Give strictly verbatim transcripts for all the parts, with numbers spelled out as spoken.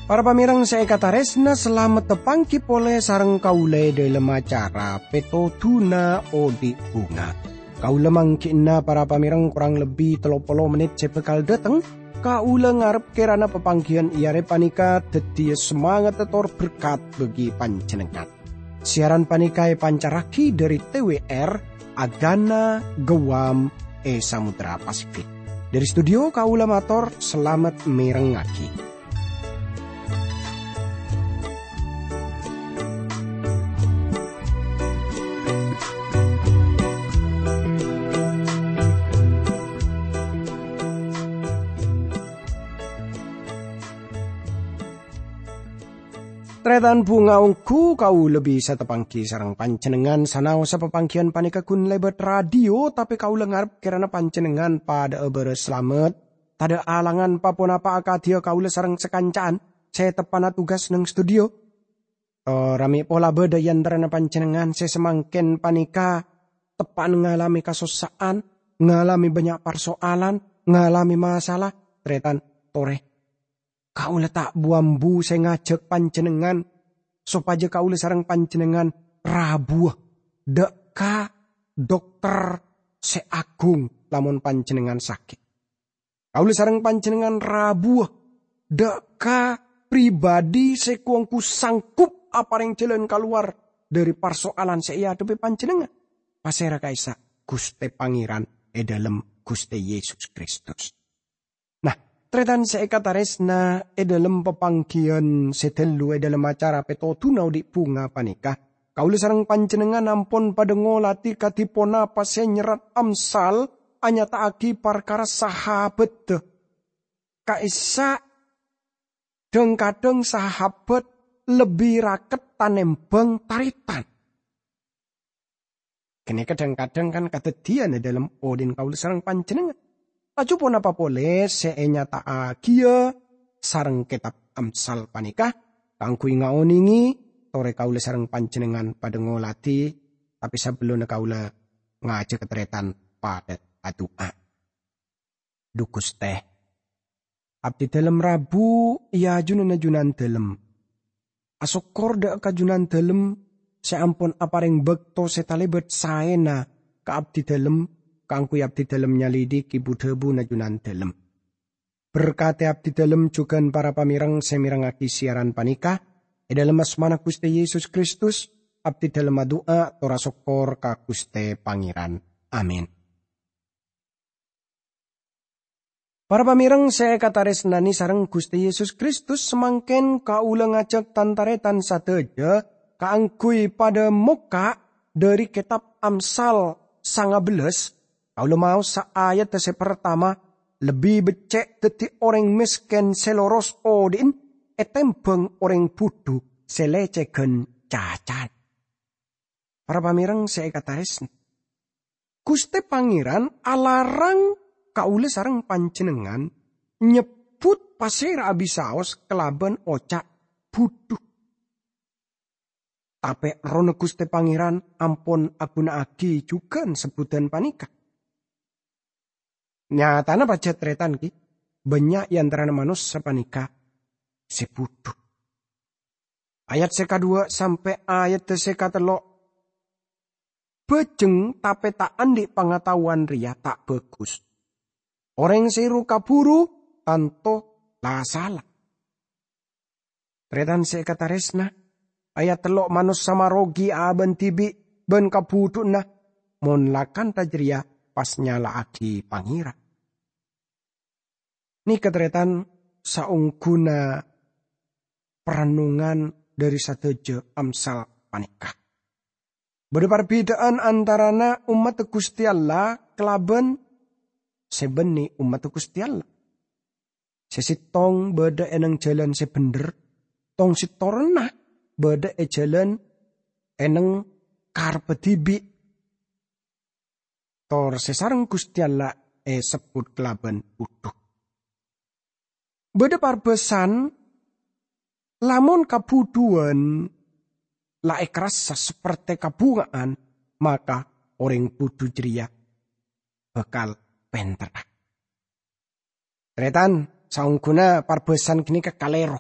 Para pamèrèng sè èkatarèsna, salamet tapangghi polè sareng kaulâ è dhâlem acara Pètodhuna Odi' Bhunga. Kaulâ mangghi'na para pamèrèng korang lebbi tello polo mennit sè bhâkal dâteng. Kaulâ ngarep kèrana papangghiyân è arè panèka dhâddhiyâ samangatta tor berkat bagi panjhennengngan. Siaran panèka èpancarraghi dhâri T W R Agana Guam è Samudra Pasifik. Dhâri studio kaulâ mator salamet mèrengngaghi. Tarètan bhunga, ongghu kaulâ bisa tapangghi sareng panjhennengngan sanaossa papangghiyân panèka ghun lèbât radio, tapè kaulâ ngarep kèrana panjhennengngan padhâ'â bârâs salamet. Tadâ' alangan pa-ponapa akadhiyâ kaulâ sareng sakanca'an sè teppa'na tugas neng studio. Tor mè' pola bâdâ è antarana panjhennengngan sè samangkèn panèka teppa'na ngalamè kasossa'an, ngalamè bânnya' parso'alan, ngalamè masalah. Tarètan, torè. Kaulâ ta' bu-ambu sè ngajhâk panjhennengngan sopajâ kaulâ sareng panjhennengngan rabuwâ dâ' ka dokter sè agung lamon panjhennengngan sakè'. Kaulâ sareng panjhennengngan rabuwâ dâ' ka pribadi sè ko-, ongghu sanggup aparèng jhâlân kalowar dhâri parso'alan sè èadhebbhi panjhennengngan. Pasèra ka'issa'? Ghustè Pangèran è dhâlem Ghustè Yesus Kristus. Nah, tarètan sè èkatarèsna, è dhâlem papangghiyân sè tello è dhâlem acara Pètodhuna Odi' Bhunga panèka, kaulâ sareng panjhennengngan ampon padhâ ngolatè kadhi ponapa sè nyerrat Amsal anyata'aghi parkara sahabatta. Ka'issa', dhâng-kadhâng sahabat lebbi raket tanèmbhâng tarètan. Ghânèka dhâng-kadhâng kan kadhâddhiyân è dhâlem odi'na kaulâ sareng panjhennengngan. Laju ponapa polè sè ènyata'aghiyâ sareng kètab Amsal panèka? Kaangghuy ngaonèngè, torè kaulâ sareng panjhennengngan padhâ ngolatè, tapè sabellunna kaulâ ngajhâk tarètan padhâ adu'a. Dhu Ghustè, abdhidhâlem rabu è ajunanna Junandhâlem. Asokkor dâ' ka Junandhâlem sè ampon aparèng bâkto sè talèbât saèna ka abdhidhâlem, kaangghuy abdhidhâlem nyalidhiki bu-dhâbuna Junandhâlem. Berkatè abdhidhâlem jhughân para pamèrèng sè mèrengngaghi siaran panèka. È dhâlem asmana Ghustè Yesus Kristus, abdhidhâlem adu'a tor asokkor ka Ghustè Pangèran. Amin. Para pamèrèng sè èkatarèsnanè sareng Ghustè Yesus Kristus, samangkèn kaulâ ngajhâk tan-tarètan sadhâjâ kaangghuy padhâ mokka' dhâri kètab Amsal sanga bellâs. Kaulâ maosa ayat sè partama, "Lebbi beccè' dhâddhi orèng mèskèn sè loros odi'na ètèmbhâng orèng budhu sè lècèghân cacan." Para pamèrèng sè èkatarèsna, Ghustè Pangèran alarang kaulâ sareng panjhennengngan nyebbhut pasèra abisaos kalabân oca' budhu. Tapè, Errohna Ghustè Pangèran ampon aghuna'aghi jhughân sebbhudhân panèka. Nyatana pajhât tarètan, ghi, bânnya' è antarana manossa panèka sè budhu. Ayat sè kadhuwâ' sampè' ayat sè katello', bhâjheng tapè ta' andi' pangataowan rèya ta' bhâghus. Orèng sè ru-kabhuru tanto la sala. Tarètan sè èkatarèsna, ayat tello' manossa marogi abâ'na dhibi' bân kabhudhu'na mon la kantha jârèya pas nyala'aghi Pangèran. Nèka tarètan saongghuna parennongan dhâri sadhâjâ Amsal panèka. Bâdâ parbhidhâ'ân antarana ommaddhâ Ghustè Allah kalabân sè bânnè ommaddhâ Ghustè Allah. Sè sèttong bâdâ è nèng jhâlân sè bhendher, tong sèttongnga bâdâ è jhâlân è nèng karebbhâ dhibi'. Tor sè sareng Ghustè Allah èsebbhut kalabân budhu. Bâdâ parbâsan Lamon kabhudhuwân la èkarassa saperte kabhunga'an, maka orèng budhu jârèya bhâkal pènterra. Tarètan, saongghuna parbhâsan ghânèka kalèro.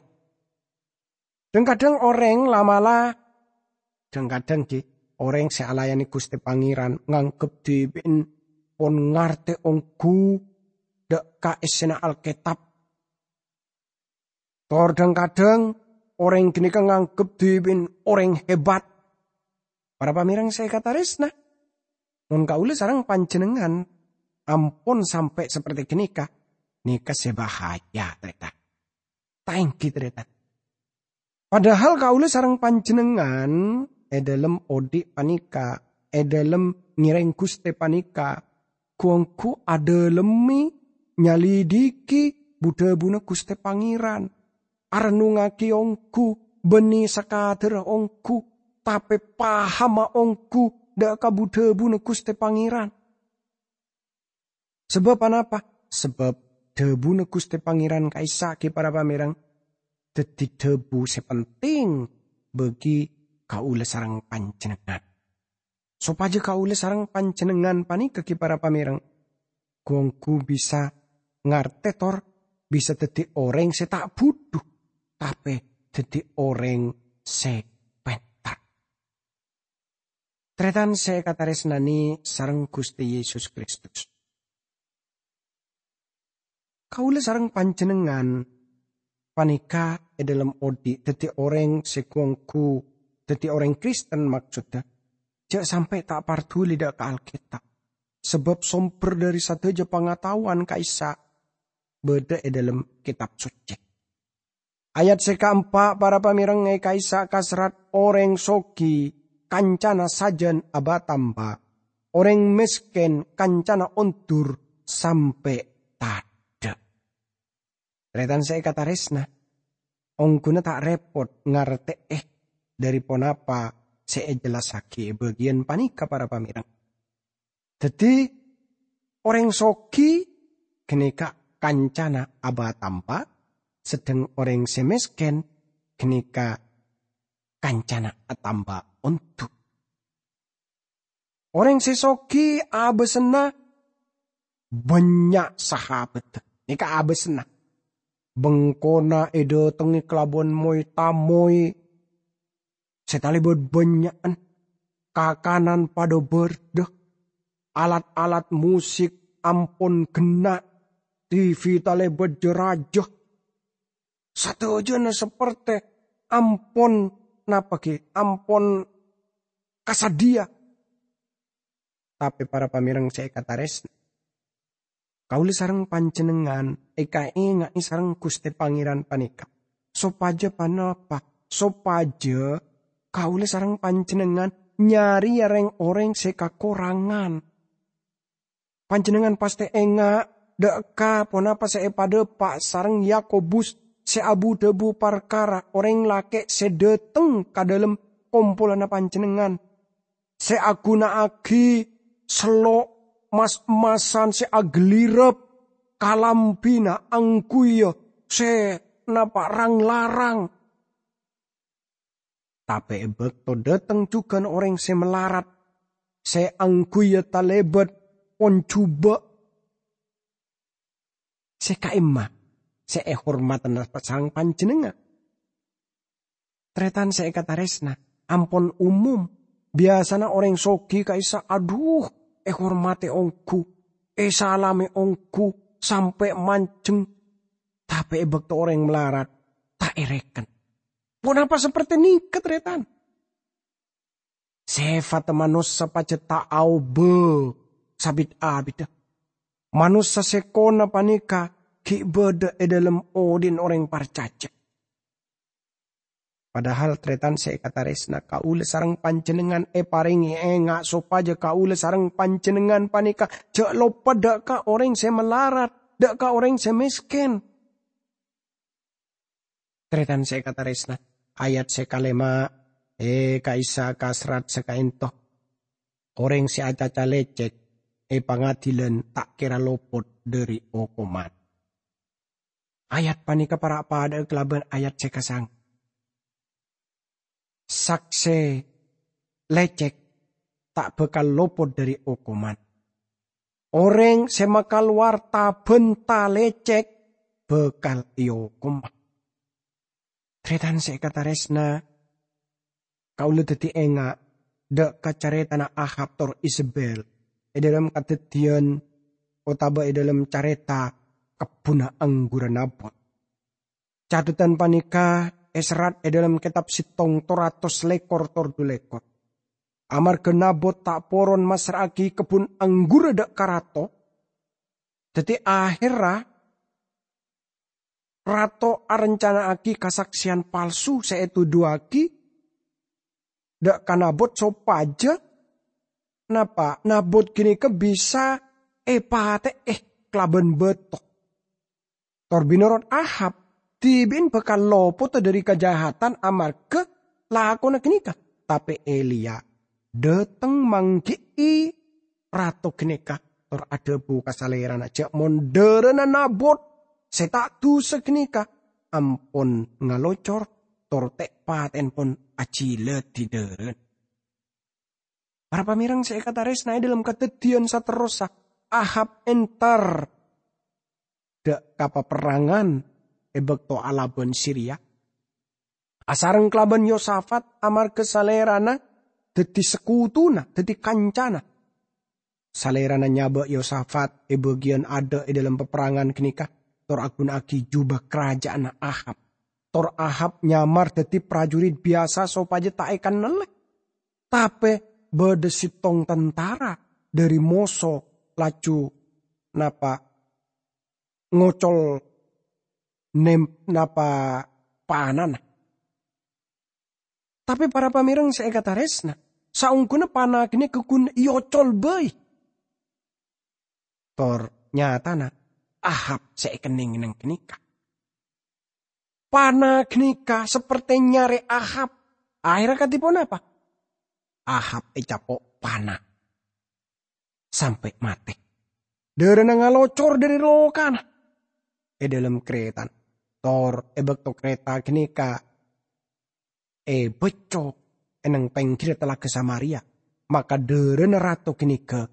Dhâng-kadhâng orèng la'-mala', dhâng-kadhâng ghi, orèng sè alayane Guste Pangeran nganggep dhibi'en pon ngarte onggu dha' ka essena Alketab. Tor dhâng-kadhâng orèng ghânèka nganggep dhibi'en orèng hebat. Para pamereng sè èkataresna, mon kaula sareng panjhennengngan ampon sampe' saperti ghânèka, nèka sè bahaya, tarètan. Ta' enggi, tarètan. Padahal kaula sareng panjhennengngan è dhâlem odhi' panèka, è dhâlem ngèrèng Guste panèka, gu-onggu adhâlemme, nyalidhiki bu-dhâbuna Guste Pangeran, arennungngagi onggu, bânnè sakadhârra onggu, tape pahama onggu dha' ka bu-dhâbuna Guste Pangeran. Sabâb anapa? Sabâb dhâbuna Guste Pangeran ka'issa' ghi, para pamereng, dhâddhi dhâbu sè penting bagi kaula sareng panjhennengngan. Sopajâ kaula sareng panjhennengngan panèka ghi, para pamereng, gu-onggu bisa ngarte tor bisa dhâddhi orèng sè ta' budhu, tape dhâddhi orèng sè pènter. Tarètan sè èkataresnane sareng Guste Yesus Kristus. Kaula sareng panjhennengngan panèka è dhâlem odhi' dhâddhi orèng sè gu-onggu dhâddhi orèng Kristen, maksodda, jhâ' sampe' ta' parduli dha' ka Alketab, sabâb somber dhâri sadhâjâ pangataowan ka'issa' bâdâ è dhâlem Ketab Socce. Ayat sè kaempa', para pamereng, è ka'issa' kaserrat, "Orèng sogi kancana sajân aba-tamba, orèng mesken kancana ondur sampe' tadha'." Tarètan sè èkataresna, ongghuna ta' repot ngarte'e dhâri ponapa sè èjellassagi è bâgiyân panèka, para pamereng. Dhâddhi, orèng sogi ghânèka kancana aba-tamba, sedheng orèng sè mesken ghânèka kancana atamba ondur. Orèng sè sogi abâsana bânnya' sahabhâdhâ. Nèka abâsana. Bengkona èdâtengngè kalabân moy-tamoy sè talèbât bânnya'an, kakanan padâ bârdâ, alat-alat musik ampon ghenna', T V talèbât jâ-rajâ. Sadhâjâna saperte ampon, napa ghi, ampon kasadhiya. Tape para pamereng sè èkataresna, kaula sareng panjhennengngan èkaenga'e sareng Guste Pangeran panèka. Sopajâ ponapa? Sopajâ kaula sareng panjhennengngan nyarèya reng-oreng sè kakorangan. Panjhennengngan pastè enga' dha' ka ponapa sè èpadhâpa' sareng Yakobus sè abu-dhâbu parkara orèng lake' sè dâteng ka dhâlem kompolanna panjhennengngan, sè aghuna'agi sello' mas-emmasan sè aghellirep kalambhina angghuya sè napa' rang-larang. Tape è bâkto dâteng jhughân orèng sè malarat, sè angghuya talèbât pon jhubâ', sè ka'imma sè èhormadhâ sareng panjhennengngan. Tarètan sè èkataresna, ampon umum. Biyasana orèng sogi ka'issa', adhu, èhormadhi ongghu, èsalamè ongghu, sampè' manjheng. Tape è bâkto orèng malarat, ta' èreken. Ponapa saperte nèka, tarètan? Sèfatta manossa pajhât ta' aobâ sabit-abiddhâ. Manossa sè kona panèka ghi' bâdâ è dhâlem odhi'na orèng parcajâ. Padahal, tarètan sè èkataresna, kaula sareng panjhennengngan èparèngè enga' sopajâ kaula sareng panjhennengngan panèka jhâ' loppa dâ' ka orèng sè malarat, dâ' ka orèng sè mèskèn. Tarètan sè èkataresna, ayat sè kalèma', è, ka'issa' kaserrat sakaènto. Orèng sè acaca lècèk è pangadilan ta' kèra lopot dhâri okoman. Ayat panèka para' padâ'â kalabân ayat sè kasang-, Sakse lecek ta' bakal lopot dhari okoman. Oreng se makalowar ta-bhânta lecek bakal eokom. Taretan se ekataresna, kaula daddi enga' dha' ka caretana Ahab tor Izebel e dhalem Kadaddiyan otaba e dhalem careta kebbunna anggurra Nabot. Catetan paneka eserrat e dhalem Ketab Settong tor atos lekor tor dhu lekor. Amarga Nabot ta' poron massra'agi kebbun anggurra dha' ka rato, daddi aherra rato arencana'agi kasakseyan palsu se etodhuwagi dha' ka Nabot sopaja, napa, Nabot ganeka bisa epate'e kalaban bato. Tor binorot Ahab, dhibi'en bakal lopota dhari kajahatan amarga lakona ganeka. Tape Eliya dhateng manggi'i rato ganeka, tor adhabu ka salerana ja' mon dharana Nabot se ta' dusa ganeka ampon ngalocor, tor te'-pate'en pon ajiladi dharana. Para pamereng se ekataresnae, e dhalem Kadaddiyan saterrossa, Ahab entar dha' ka paperrangan e bakto alaban Siria, asareng kalaban Yosafat, amarga salerana daddi sekutuna, daddi kancana. Salerana nyaba' Yosafat e bagiyan adha' e dhalem paperrangan ganeka, tor aguna'agi juba karaja'anna Ahab. Tor Ahab nyamar daddi prajurit biyasa sopaja ta' ekennale. Tape badha settong tantara dhari moso laju napa ngocol nem-, napa panana. Tape para pamereng se ekataresna, saongguna pana ganeka gun eocol bai. Tor nyatana Ahab se ekenneng-kenneng ganeka. Pana ganeka saperte nyare Ahab. Aherra kadi ponapa? Ahab ecapo' pana sampe' mate. Dharana ngalocor dhari lokana e dhalem karetan. Tor e bakto kareta ganeka ebecco' e neng pengghirra Talaga Samaria, maka dharana rato ganeka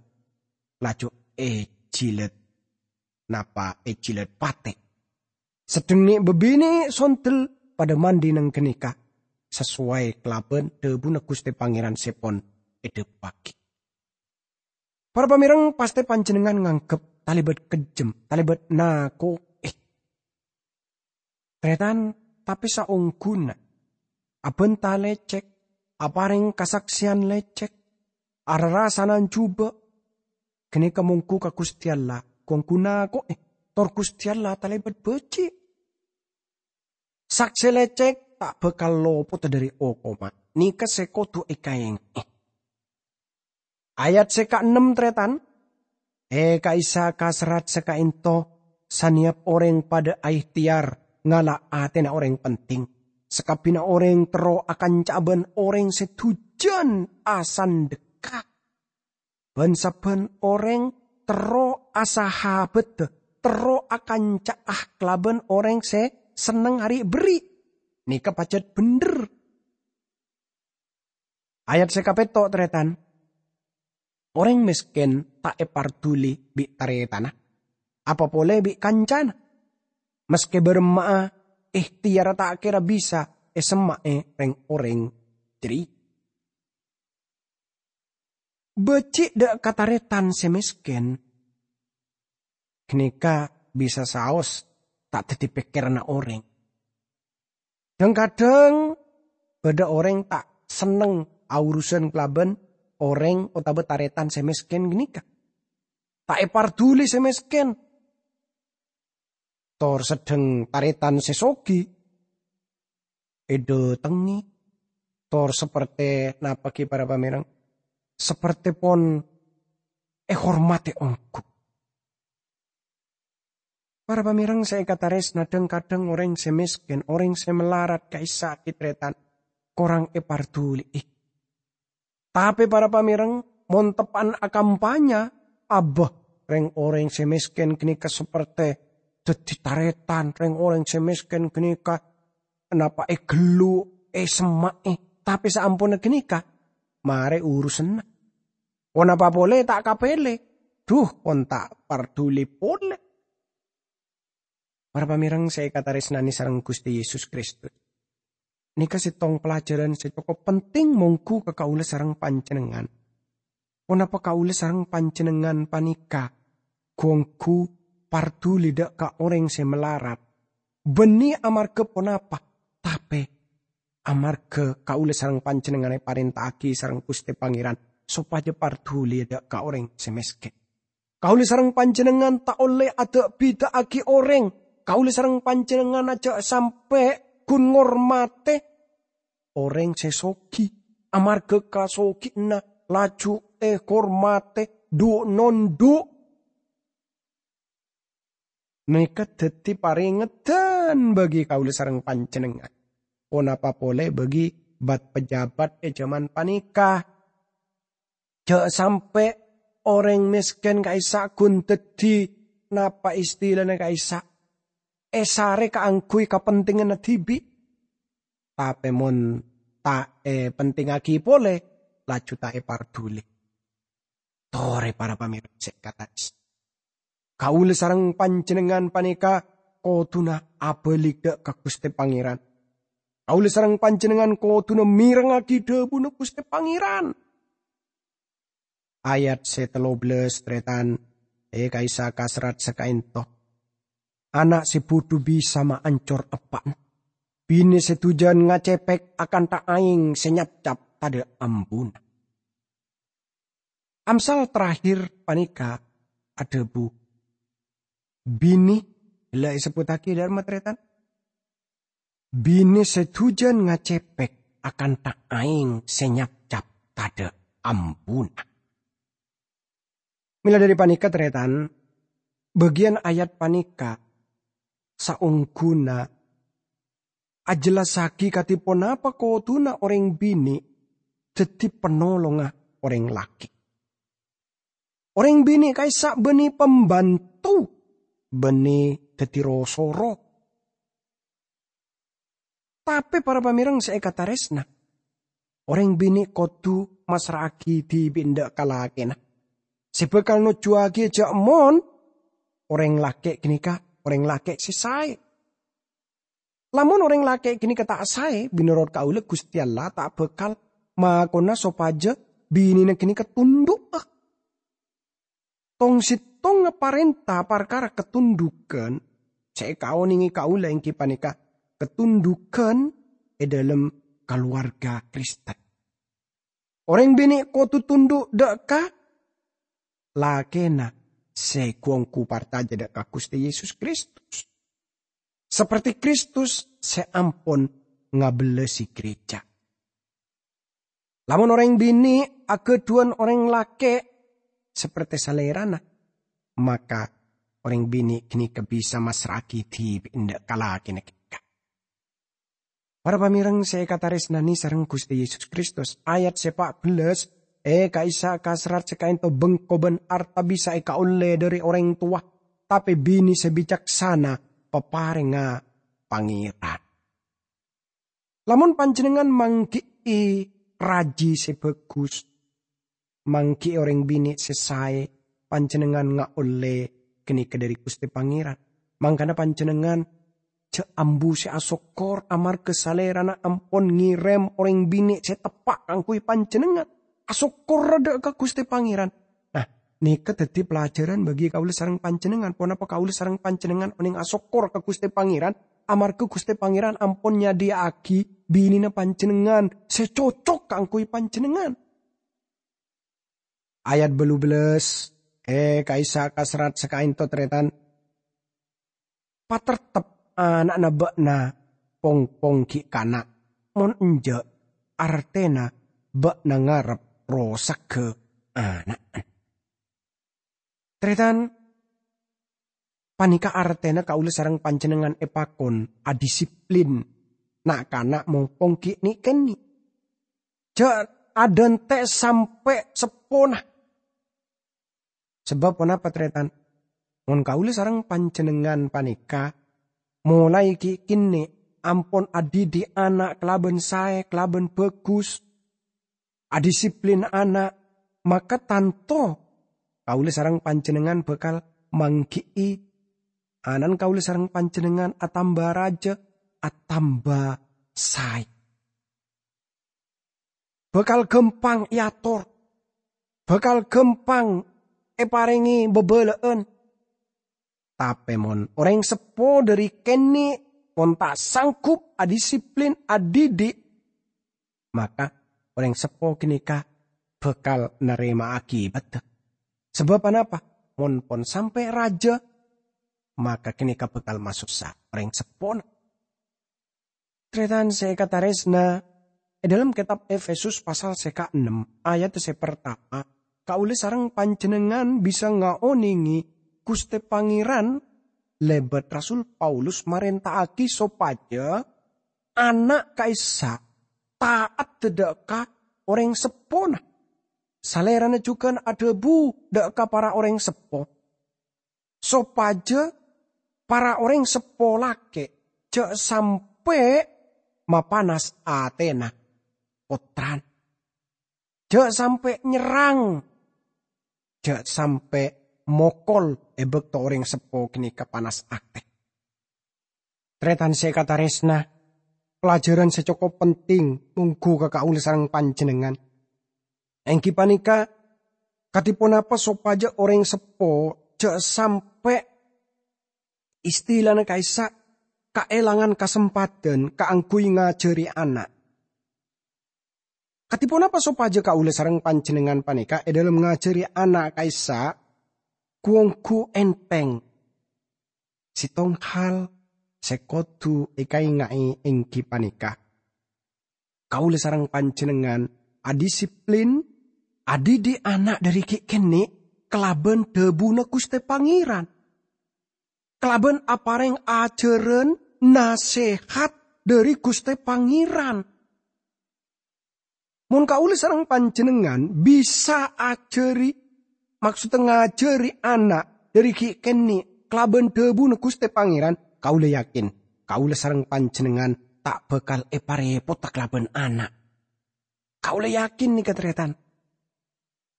laju ejilad, napa ejilad pate. Sedheng ne' babine' sondel padha mandi neng ganeka, sasowai kalaban dhabuna Guste Pangeran se pon edhabuwagi. Para pamereng, paste panjennengngan nganggep talebat kejjem, talebat nako'e. Taretan, tape saongguna abanta lecek, apareng kasakseyan lecek, ararasanan juba', ganeka monggu ka Guste Allah, gu-onggu nako'e, tor Guste Allah talebat baji'. Sakse lecek ta' bakal lopota dhari okoman. Neka se kodu ekaenge. Ayat se kaennem, taretan. E ka'issa' kaserrat se ka'ento, saneyap oreng padha aehteyar ngala' atena oreng penting. Sakabbina oreng terro akanca'a ban oreng se dujan asandhekka. Ban sabban oreng terro asahabadda, terro akanca'a kalaban oreng se senneng ari'-berri'. Neka pajat bendher. Ayat se kapetto', taretan. Oreng mesken ta' eparduli bi' taretanna, apa pole bi' kancana. Maske baramma'a, ehteyarra ta' kera bisa esemma'e reng-oreng jareya. Baji' dha' ka taretan se mesken, ganeka bisa saos ta' daddi pekkeranna oreng. Dhang-kadhang badha oreng ta' senneng aurusan kalaban oreng otaba taretan se mesken ganeka. Ta' eparduli se mesken. Tor sedheng taretan se sogi edhatengnge, tor saperte napa gi para pamereng? Saperte pon ehormate ongghu. Para pamereng se ekataresna, dhang-kadhang oreng se mesken, oreng se malarat ka'issa' gi taretan, korang eparduli'i. Tape para pamereng, mon teppa'na akampanya, abâ, reng-oreng se mesken ganeka saperte daddi taretan, reng-oreng se mesken ganeka napa egellu', esemma'e, Tapè saamponna ghânèka, marè urusanna. Ponapa polè ta' kapèlè? Dhu, pon ta' parduli polè. Para pamèrèng sè èkatarèsnanè sareng Ghustè Yesus Kristus, nèka sèttong pelajaran sè cokop penting mongghu ka kaulâ sareng panjhennengngan. Ponapa kaulâ sareng panjhennengngan panèka ghu-ongghu parduli dâ' ka orèng sè malarat? Bânnè amarghâ ponapa, tapè amarghâ kaulâ sareng panjhennengngan èparènta'aghi sareng Ghustè Pangèran sopajâ parduli dâ' ka orèng sè mèskèn. Kaulâ sareng panjhennengngan ta' ollè ada'-bida'aghi orèng. Kaulâ sareng panjhennengngan jhâ' sampè' ghun ngormatè orèng sè soghi, amarghâ kasoghiyânna laju èhormatè dhu'-nondhu'. Nèka dhâddhi parèngeddhân bagi kaulâ sareng panjhennengngan. Ponapa polè bagi bat-pejabat è jhâman panèka? Jhâ' sampè' orèng mèskèn ka'issa' ghun dhâddhi, napa istilana ka'issa', èsarè kaangghuy kapentinganna dhibi'. Tapè mon ta' èpentingngaghi polè, laju ta' èparduli. Torè, para pamèrèng sè èkatarès. Kaulâ sareng panjhennengngan panèka kodhuna abâli dâ' ka Ghustè Pangèran. Kaulâ sareng panjhennengngan kodhuna mèrengngaghi dhâbuna Ghustè Pangèran. Ayat sè tello bellâs, tarètan, è ka'issa' ka serrat sakaènto. Ana' sè budhu bisa maancor eppa'na. Binè sè dhujân ngacepek akantha aèng sè nyapcap tadâ' ambuna. Amsal terakhir panèka adhâbu, binè la èsebbhuttaghi dâ' remma, tarètan. Binè sè dhujân ngacepek akantha aèng sè nyapcap tadâ' ambuna. Mèla dhâri panèka, tarètan, bâgiyân ayat panèka saongghuna ajhellassaghi kadhi ponapa kodhuna orèng binè dhâddhi panolongnga orèng lakè'. Orèng binè ka'issa' bânnè pambanto, bânnè dhâddhi ro-soro. Tapè para pamèrèng sè èkatarèsna, orèng binè kodhu massra'aghi dhibi' endâ' ka lakèna, sè bhâkal nojjhuwaghi jhâ' mon orèng lakè' ghânèka orèng lakè' sè saè. Lamon orèng lakè' ghânèka ta' saè, mènorot kaulâ Ghustè Allah ta' bhâkal makona sopajâ binèna ghânèka tondhu'â. Tong-settongnga parènta parkara katondhughân sè èkaonèngè kaulâ èngghi panèka katondhughân è dhâlem kalowarga Kristen. Orèng binè' kodhu tondhu' dâ' ka lakèna sè ghu-ongghu parcajâ dâ' ka Ghustè Yesus Kristus, saperte Kristus sè ampon ngabellasi gereja. Lamon orèng binè' aghâdhuwân orèng lakè' saperte salèrana, maka orèng binè' ghânèka bisa massra'aghi dhibi' endâ' ka lakèna ghânèka. Para pamèrèng sè èkatarèsnanè sareng Ghustè Yesus Kristus, ayat sè pa' bellâs, è ka'issa' ka serrat sakaènto, bengko bân arta bisa èkaollè dhâri orèng towa, tapè binè sè bicaksana paparèngnga Pangèran. Lamon panjhennengngan mangghi'i rajhi sè bhâghus, mangghi'i orèng binè' sè saè, panjhennengngan ngaollè ghânèka dhâri Ghustè Pangèran. Mangkana panjhennengngan jhâ' ambu sè asokkor amarghâ salèrana ampon ngèrèm orèng binè' sè teppa' kaangghuy panjhennengngan. Asokkorra dâ' ka Ghustè Pangèran. Nah, nèka dhâddhi pelajaran bagi kaulâ sareng panjhennengngan. Ponapa kaulâ sareng panjhennengngan onèng asokkor ka Ghustè Pangèran? Amarghâ Ghustè Pangèran ampon nyadhiyâ'aghi binèna panjhennengngan sè cocok kaangghuy panjhennengngan. Ayat bâllu bellâs, è ka'issa' ka serrat sakaènto, tarètan. Patertep ana'na bâ'na pong-pong ghi' kana', mon enjâ', artèna bâ'na ngarep rosagghâ ana'na. Tarètan, panèka artèna kaulâ sareng panjhennengngan èpakon adisiplin na'-kana' mon-pong ghi' nè'-kènè'. Jhâ' adhânte' sampè' seppona. Sabâb ponapa, tarètan? Mon kaulâ sareng panjhennengngan panèka molaè ghi' kènè' ampon adhidhi' ana' kalabân saè, kalabân bhâghus, adisiplin ana', maka tanto kaulâ sareng panjhennengngan bhâkal mangghi'i ana'na kaulâ sareng panjhennengngan atamba rajâ, atamba saè. Bhâkal ghâmpang èator, bhâkal ghâmpang èparèngè bhâbhâlâ'ân. Tapè mon orèng seppo dhâri kènè' pon ta' sanggup adisiplin adhidhi', maka orèng seppo ghânèka bhâkal narèma akibatta. Sabâb anapa? Mon pon sampè' rajâ, maka ghânèka bhâkal masossa orèng seppona. Tarètan sè èkatarèsna, è dhâlem kètab Efesus pasal sè kaennem, ayat sè partama, kaulâ sareng panjhennengngan bisa ngaonèngè Ghustè Pangèran lèbât Rasul Paulus marènta'aghi sopajâ ana' ka'issa' ta'at dhâ' ka orèng seppona. Salèrana jhughân adhâbu dhâ' ka para orèng seppo, sopajâ para orèng seppo lakè' jhâ' sampè' mapanas atèna pottrana, jhâ' sampè' nyerrang, jhâ' sampè' mokol è bâkto orèng seppo ghânèka panas atè. Tarètan sè èkatarèsna, pelajaran sè cokop penting mongghu ka kaulâ sareng panjhennengngan. Èngghi panèka, kadhi ponapa sopajâ orèng seppo jhâ' sampè' istilana ka'issa' kaèlangan kasempadhân kaangghuy ngajhâri ana'. Kadhi ponapa sopajâ kaulâ sareng panjhennengngan panèka è dhâlem ngajhâri ana' ka'issa' ghu-ongghu ènthèng? Sèttong hal sè kodhu èkaènga'è èngghi panèka, kaulâ sareng panjhennengngan adisiplin, adhidhi' ana' dhâri ghi' kènè' kalabân dhâbuna Ghustè Pangèran, kalabân aparèng ajhârân nasèhat dhâri Ghustè Pangèran. Mon kaulâ sareng panjhennengngan bisa ajhâri, maksodda ngajhâri ana' dhâri ghi' kènè' kalabân dhâbuna Ghustè Pangèran, kaulâ yakin kaulâ sareng panjhennengngan ta' bhâkal èparèpotta kalabân ana'. Kaulâ yakin nèka, tarètan.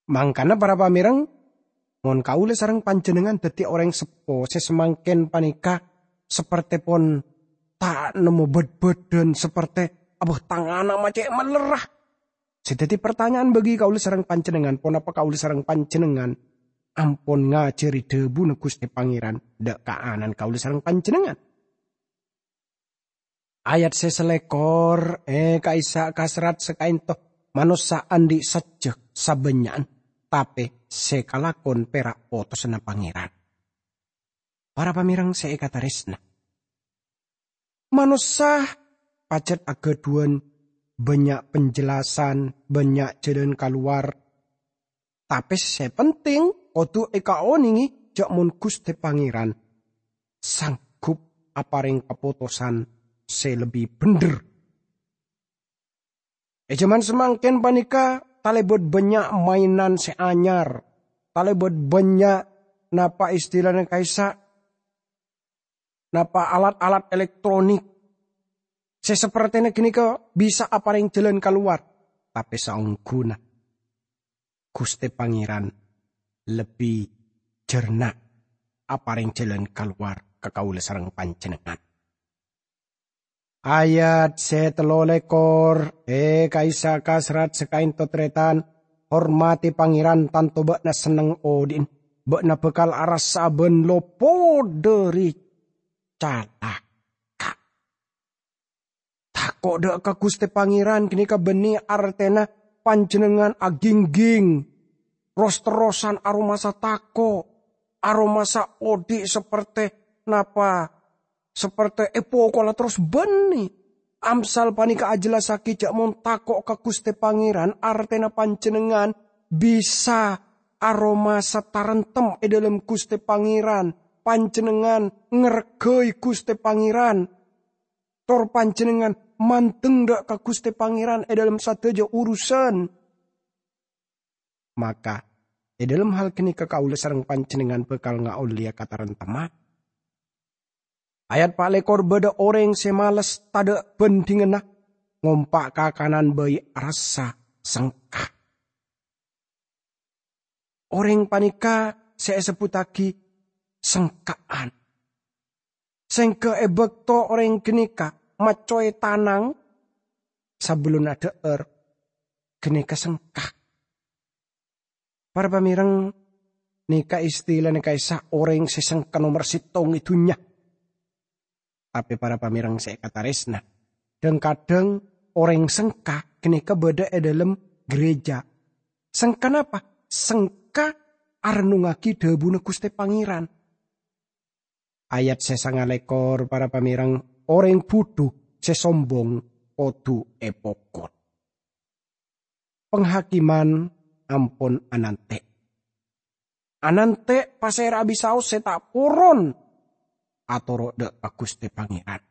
Mangkana, para pamèreng, mon kaulâ sareng panjhennengngan dhâddhi orèng seppo sè samangkèn panèka sapertèpon ta' nemmo bâd-bâdân, sapertè, "Abâh, tang ana' ma' cè' malèrra." Sè dhâddhi partanya'an bagi kaulâ sareng panjhennengngan, ponapa kaulâ sareng panjhennengngan ampon ngajhâri dhâbuna Ghustè Pangèran dhâ' ka ana'na kaulâ sareng panjhennengngan? Ayat sè salèkor, è, ka'issa' ka serrat sakaènto, manossa andi' sajjhâ sabânnya'an, tapè sè kalakon pèra' potosanna Pangèran. Para pamèreng sè èkatarèsna, manossa pajhât aghâdhuwân bânnya' penjelasan, bânnya' jhâlân kalowar, tapè sè penting kodhu èkaonèngè jhâ' mon Ghustè Pangèran sanggup aparèng kapotosan sè lebbi bhendher. È jhâman samangkèn panèka talèbât bânnya' mainan sè anyar, talèbât bânnya' napa istilana ka'issa', napa alat-alat elektronik sè sapertèna ghânèka bisa aparèng jhâlân kalowar, tapè saongghuna Ghustè Pangèran lebbi jhârna aparèng jhâlân kalowar ka kaulâ sareng panjhennengngan. Ayat sè tello lèkor, è, ka'issa' ka serrat sakaènto, tarètan, hormatè Pangèran, tanto bâ'na senneng odi'na. Bâ'na bhâkal arassa bân lopot dhâri calaka. Tako' dhâ' ka Ghustè Pangèran ghânèka bânnè artèna panjhennengngan agingging, ros-terrosan aromasa tako', aromasa odi' sapertè napa, sapertè èpokola terros bânnè. Amsal panèka ajhellassaghi jhâ' mon tako' ka Ghustè Pangèran, artèna panjhennengngan bisa aromasa taremtem è dhâlem Ghustè Pangèran, panjhennengngan ngarghâi Ghustè Pangèran. Tor panjhennengngan mandeng dhâ' ka Ghustè Pangèran è dhâlem sadhâjâ urusan. Maka, è dhâlem hal ghânèka kaulâ sareng panjhennengngan bhâkal ngaollèya kataremtemman. Ayat pa' lèkor, "Bâdâ orèng sè males tadâ' bhândhinganna, ngompa' kakanan bhâi arassa sengka." Orèng panèka sè èsebbhuttaghi sengka'an. Sèngghâ è bâkto orèng ghânèka maccowè tanang sabellunna dhâ'âr, ghânèka sengka. Para pamèreng, nèka istilana ka'issa' orèng sè sengka nomer sèttong è dhunnya. Tapè para pamèreng sè èkatarèsna, dhâng-kadhâng orèng sengka ghânèka bâdâ è dâlem gereja. Sengka napa? Sengka arennungngaghi dhâbuna Ghustè Pangèran. Ayat sè sangalèkor, para pamèreng, "Orèng bhudhu sè sombong kodhu èpokol." Panghâkiman ampon anantè'. Anantè' pasèra abisaos sè ta' poron atoro' dâ' ka Ghustè Pangèran.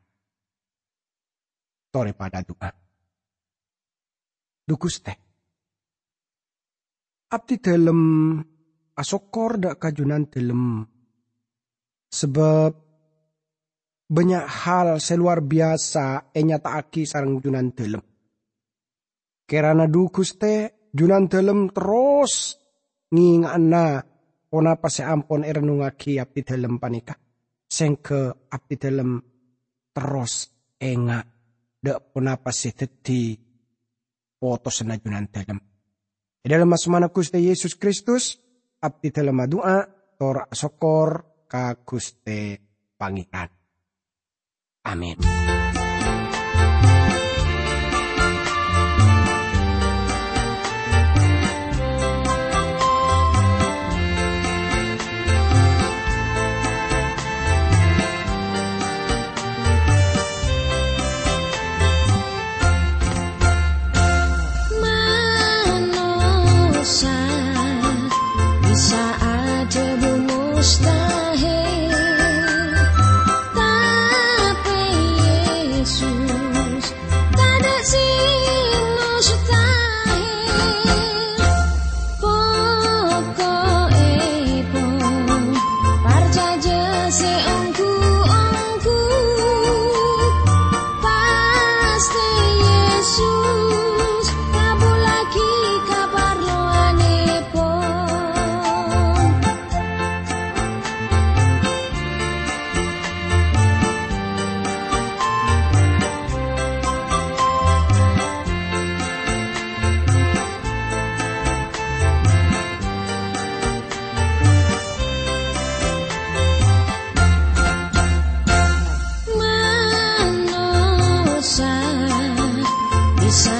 Torè padâ adu'a. Dhu Ghustè, abdhi dhâlem asokkor dâ' ka Junandhâlem, sabâb bânnya' hal sè lowar biyasa ènyata'aghi sareng Junandhâlem. Kèrana dhu Ghustè, Junandhâlem terros ngènga'ana ponapa sè ampon èrennungngaghi abdhi dhâlem panèka, sèngghâ abdhi dhâlem terros enga' dâ' ponapa sè dhâddhi potosanna Junandhâlem. È dâlem asmana Ghustè Yesus Kristus, abdhi dhâlem adu'a tor asokkor ka Ghustè Pangèran. Amin. Manossa bisa adhâbu mustahil, tapè Yesus tadâ' sè mustahil. Poko'èpon parcajâ sè ongghu-ongghu, pastè Yesus ngabhullaghi kaparlowanèpon. Manossa bisa